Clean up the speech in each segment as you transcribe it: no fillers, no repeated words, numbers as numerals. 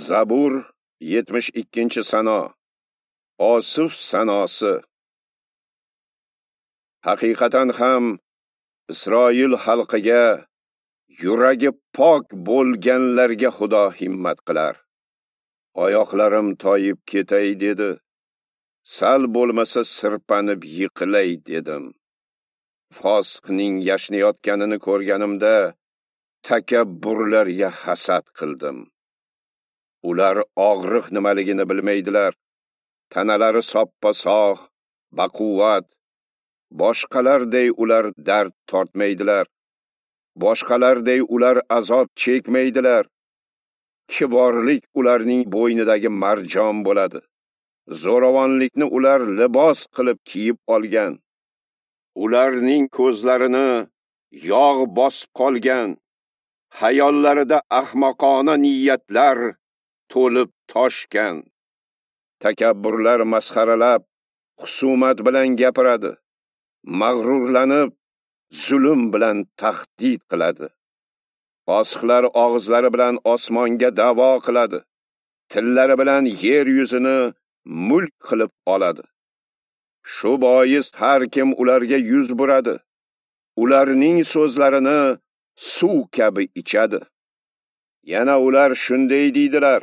Zabur 72-sano. Osif sanosi. Haqiqatan ham Isroil xalqiga, yuragi pok bo'lganlarga Xudo himmat qilar. Oyoqlarim toyib ketay dedi. Sal bo'lmasa sirpanib yiqilay dedim. Fosiqning yashnayotganini ko'rganimda takabburlarga hasad qildim. Ular og'riq nimaligini bilmaydilar. Tanalari soppa-sog', baquvvat. Boshqalarday ular dard tortmaydilar. Boshqalarday ular azob chekmaydilar. Kiborlik ularning bo'ynidagi marjon bo'ladi. Zo'ravonlikni ular libos qilib kiyib olgan. Ularning ko'zlarini yog' bosib qolgan. Hayollarida ahmoqona niyatlar to'lib toshgan. Takabburlar masxaralab, husumat bilan gapiradi. Mag'rurlanib, zulm bilan tahdid qiladi. Fosiqlar og'izlari bilan osmonga da'vo qiladi. Tillari bilan yer yuzini mulk qilib oladi. Shu bois har kim ularga yuz buradi. Ularning so'zlarini suv kabi ichadi. Yana ular shunday deydilar: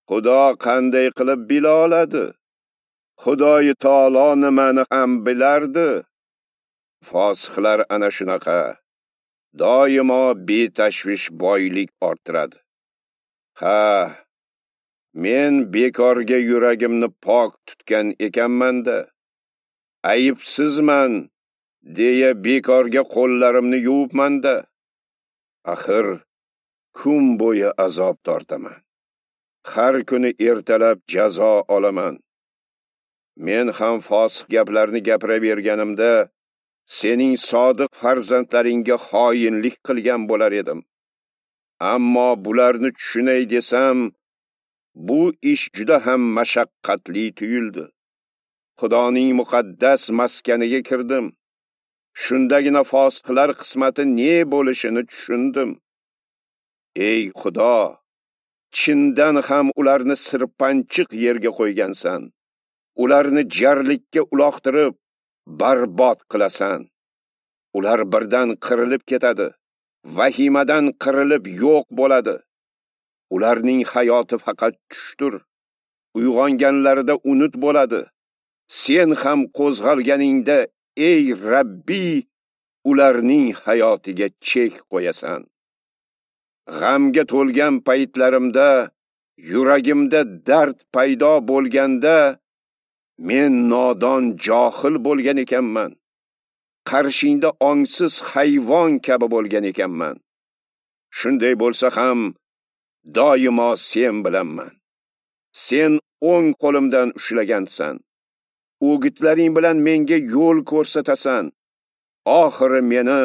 Xudo qanday qilib bila oladi? Xudoyi taolo nimani ham bilardi? Fosiqlar ana shunaqa. Doimo betashvish boylik orttiradi. Ha, men bekorga yuragimni pok tutgan ekanman-da. Aybsizman deya bekorga qo'llarimni yuvibman-da. Axir kun bo'yi azob tortaman. Har kuni ertalab jazo olaman. Men ham fosiq gaplarni gapiraverganimda sening sodiq farzandlaringga xoinlik qilgan bo'lar edim. Ammo bularni tushunay desam, bu ish juda ham mashaqqatli tuyuldi. Xudoning muqaddas maskaniga kirdim. Shundagina fosiqlar qismati ne bo'lishini tushundim. Ey Xudo, chindan ham ularni sirpanchiq yerga qo'ygansan. Ularni jarlikka uloqtirib, barbod qilasan. Ular birdan qirilib ketadi, vahimadan qirilib yo'q bo'ladi. Ularning hayoti faqat tushdir. Uyg'onganlarida unut bo'ladi. Sen ham qo'zg'alganingda, ey Rabbi, ularning hayotiga chek qo'yasan. G'amga to'lgan paytlarimda, yuragimda dard paydo bo'lganda, men nodon johil bo'lgan ekanman. Qarshingda ongsiz hayvon kabi bo'lgan ekanman. Shunday bo'lsa ham doimo sen bilanman. Sen o'ng qo'limdan ushlagansan. O'gitlaring bilan menga yo'l ko'rsatasan. Oxiri meni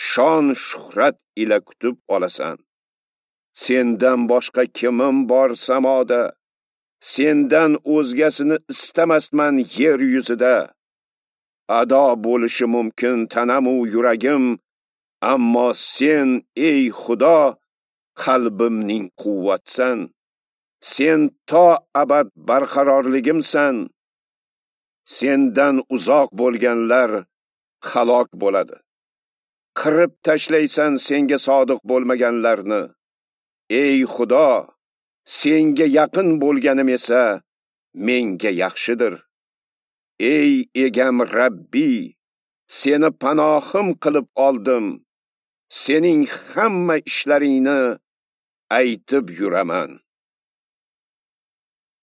shon shuhrat ila kutib olasan. Sendan boshqa kimim bor samoda? Sendan o'zgasini istamasman yer yuzida. Ado bo'lishi mumkin tanamu yuragim, ammo sen, ey Xudo, qalbimning quvvatsan. Sen to abad barqarorligimsan. Sendan uzoq bo'lganlar halok bo'ladi. Qirib tashlaysan senga sodiq bo'lmaganlarni. Ey Xudo, senga yaqin bo'lganim esa menga yaxshidir. Ey egam Rabbi, seni panohim qilib oldim. Sening hamma ishlaringni aytib yuraman.